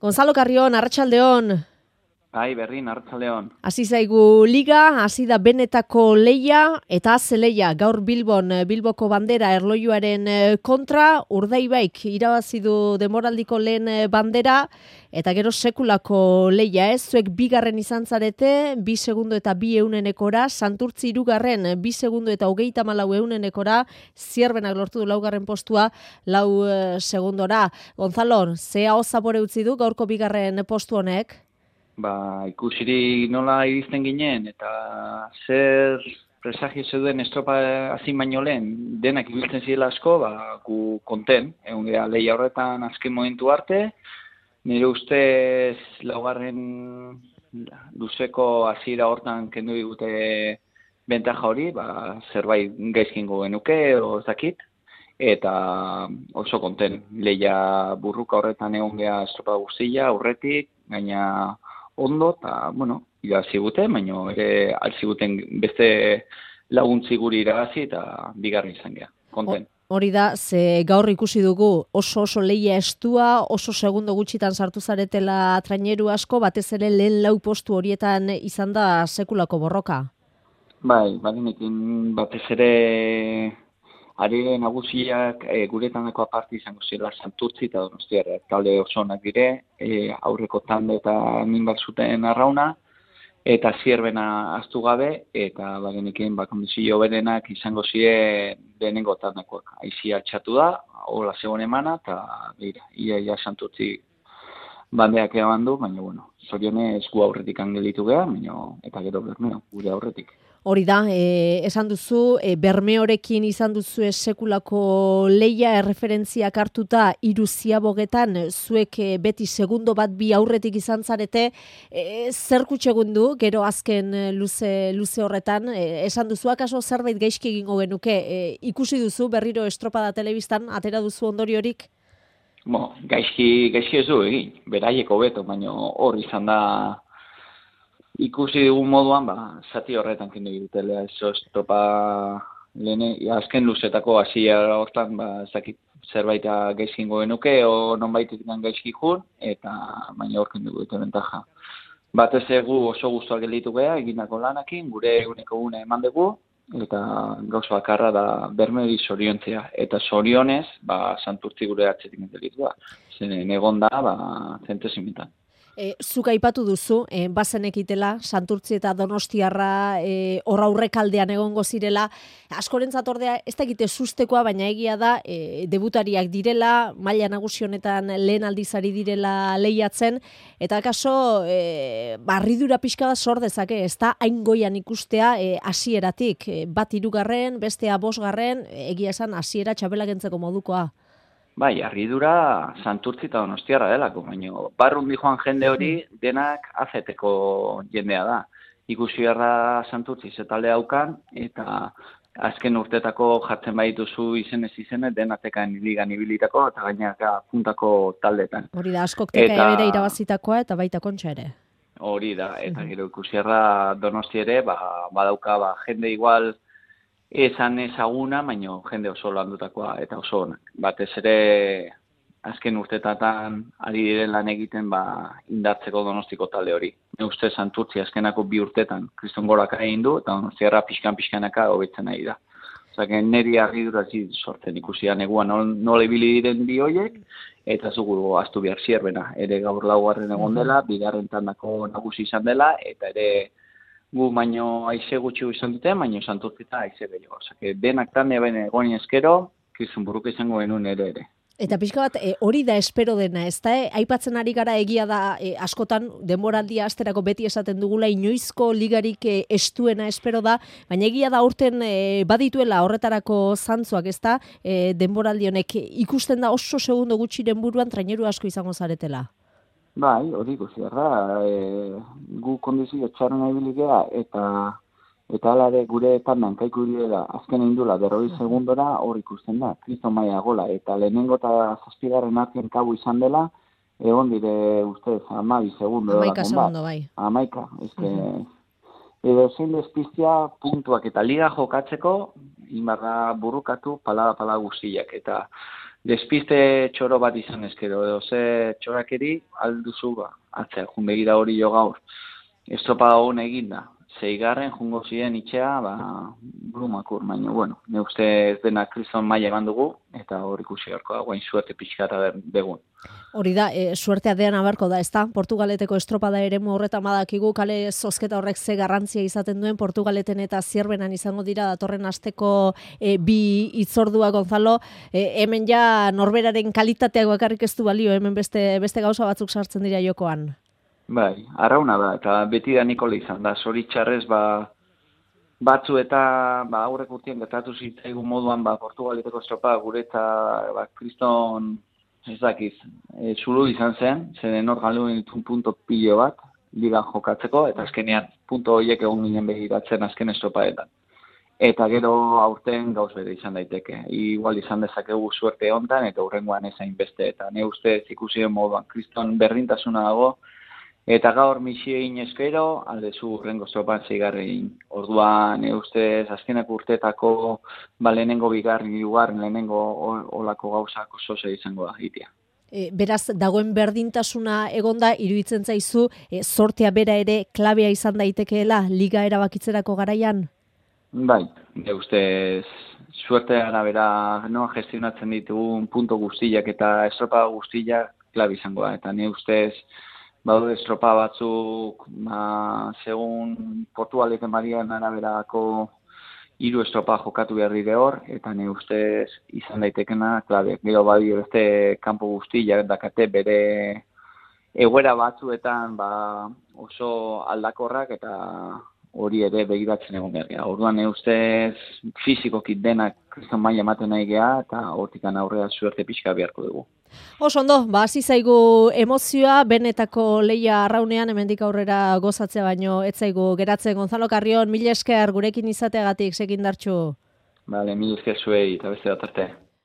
Gonzalo Carrion, arratsaldeon. Bai, Berrin, arratsaldeon. Hasi zaigu liga, hasi da benetako leia eta zeleia gaur Bilboko bandera erlojuaren kontra, Urdaibaik irabazi du demoraldiko lehen bandera eta gero sekulako leia, zuek bigarren izan zarete, 2 segundo eta 2 eunenekora, Santurtzi hirugarren 2 segundo eta 34 eunenekora, Zierbenak lortu du laugarren postua 4 segundora. Gonzalo, ze aho zapore utzi du gaurko bigarren postu honek? Ikusirik nola iristen ginen, eta zer presagio zeuden estropa hasi baino lehen, denak ibiltzen zirela asko, gu konten, egun gara lehia horretan azken momentu arte, nire ustez laugarren luzeko hasiera hortan kendu digute bentaja hori, zerbait gaizkingo genuke, edo ez dakit, eta oso konten, lehia burruka horretan egon gara estropa guztia, aurretik, gaina ondo, eta, irabazi gute, baina ere altziguten beste laguntzi guri irabazi eta bigarren izan geha, konten. Hori da, ze gaur ikusi dugu oso leia estua, oso segundo gutxitan sartu zaretela traineru asko, batez ere lehen 4 postu horietan izan da sekulako borroka. Bai, badenekin batez ere are nagusiak guretanako aparte izango zela Santurtzi eta Donostiarra. Talde oso onak dire, aurreko tande eta minbar zuten arrauna, eta Zierbena ahaztu gabe, eta bagenekin kondizio berenak izango ziren lehenengo tandakoak. Aizia txatu da, hola zegoen emana, eta ia Santurtzi bandeak eban du, baina zorionez gu aurretik angelitu geha, eta gero Bermeo, gure aurretik. Hori da, esan duzu, Bermeorekin izan duzu sekulako leia erreferentziak hartuta 3 ziabogetan, zuek beti segundo bat 2 aurretik izan zarete, zer kutsegun du, gero azken luze horretan, esan duzu, akaso zerbait gaizki egingo genuke, ikusi duzu berriro estropada telebistan, atera duzu ondoriorik? Gaizki ez du egin, beraieko beto, baina hor izan da, ikusi dugun moduan, zati horretan kendu egitela, estropa lehene, azken luzetako hasia hortan, zerbait gaizkingo genuke, o nonbaitik gaizki jun, eta baina hor kendu dute bentaja. Batez egu oso guztuak gelditu geha, egindako lanakin, gure eguneko gune eman dugu, eta gauza bakarra da Bermeori zoriontzea, eta zorionez, Santurtzi gure atzetik gelditu da. Zen egon da, zentesimetan. Zuk aipatu duzu, bazenekitela, Santurtzi eta Donostiarra hor aurrekaldean egongo zirela, askorentzat ordea ez da egite sustekoa, baina egia da, debutariak direla, maila nagusi honetan lehen aldizari direla lehiatzen, eta akaso, barridura pixka bat sor dezake, ez da hain goian ikustea hasieratik, bat 3, bestea 5, egia esan hasiera txapela kentzeko modukoa. Bai, harridura Santurtzi eta Donostiarra delako, baina barrundi joan jende hori denak azeteko jendea da. Ikusi beharra Santurtzi zetalde haukan, eta azken urtetako jartzen badituzu izenez denatekan ligan ibilitako, eta gainaka puntako taldetan. Hori da, askok teka ere irabazitakoa eta baita kontxa ere. Hori da, eta gero ikusi beharra Donosti ere, badauka jende igual, esan ezaguna, baina jende oso landutakoa eta oso onak. Batez ere azken urtetatan ari diren lan egiten indartzeko Donostiko talde hori. Ne uste Santurtzi azkenako 2 urtetan kriston goraka egin du, eta Donostiarra pixkanaka hobetzen nahi da. Osea, niri harridura sortzen ikusia neguan nola ibili diren bi horiek, eta zugu ahaztu behar Zierbena. Ere gaur 4. egon dela, 2. tandako nagusi izan dela, eta ere gu baino aize gutxi izan dute, baino Santurtzi eta aize gehiago. Osea, denak tande baina egonien eskero, kriston burruka izango genuen ere. Eta pixka bat, hori da espero dena, ez da? Aipatzen ari gara egia da askotan denboraldia asterako beti esaten dugula, inoizko ligarik estuena espero da, baina egia da aurten badituela horretarako zantzuak, ez da? Denboraldi honek ikusten da oso segundo gutxiren buruan traineru asko izango zaretela. Bai, hori ikusi da, gu kondizio txarren abiligea, eta alare gure tandan kaiku direla azken indula 40 segundora hor ikusten da, kriston maia gola, eta lehenengo eta 7. artean kabu izan dela, egon dire ustez 12 segundo. 11 segundo, bai. 11, edo zein despiztia puntuak eta liga jokatzeko, inbarra burrukatu pala guztiak, eta despiste txoro bat izan ezkero, edo ze txorakeri alduzu atzea, jun begira hori jo gaur. Estropada hon eginda. 6. jungo ziren itxea, brumakur, baina, bueno, ne uste ez dena kriston maila eman dugu, eta hor ikusi harko da, guain suerte pixkata begun. Hori da, suertea dean abarko da, ezta? Portugaleteko estropada eremu horretan badakigu, kale zozketa horrek ze garrantzia izaten duen, Portugaleten eta Zierbenan izango dira datorren asteko bi hitzordua, Gonzalo, hemen ja norberaren kalitateak bakarrik ez du balio, hemen beste gauza batzuk sartzen dira jokoan. Bai, arrauna da, eta beti da Nikola izan da, zoritxarrez, batzu eta aurrek urtien gertatu zitzaigun moduan, Portugaleteko estropada gure eta kriston, ez dakiz, zulu izan zen, zeren hor galdu ditun punto pilo bat, liga jokatzeko, eta azkenean punto horiek egon ginen begiratzen azken estropadetan. Eta gero aurten gauz bere izan daiteke. Igual izan dezakegu suerte hontan, eta hurrengoan ezain beste. Eta ne ustez ikusi den moduan, kriston berdintasuna dago, eta gaur misio egin eskero, aldezu hurrengo estropan 6. Orduan, ustez, azkenak urteetako, lehenengo bigarren, hirugarren, lehenengo olako gauzak oso izango da, hitia. Beraz, dagoen berdintasuna egonda, iruditzen zaizu, sortea bera ere klabea izan daitekeela, liga erabakitzerako garaian? Bai, ustez, suertea arabera gestionatzen ditugun punto guztiak eta estropa guztiak klabe izango da, eta ne ustez, badaude estropa batzuk, segun Portugaleten Marian araberako 3 estropa jokatu behar dire hor, eta ne ustez izan daitekena klabe. Gero badio beste kanpo guztiak dakate bere egoera batzuetan oso aldakorrak eta hori ere begiratzen egon behar gara. Orduan ne ustez fizikoki denak kriston maila ematen nahi geha, eta hortikan aurrera suerte pixka beharko dugu. Oso ondo, hasi zaigu emozioa, benetako leia arraunean, hemendik aurrera gozatzea baino, ez zaigu geratzen. Gonzalo Carrion, mila esker gurekin izateagatik, segindartxu. Mila esker zuei, eta beste bat arte.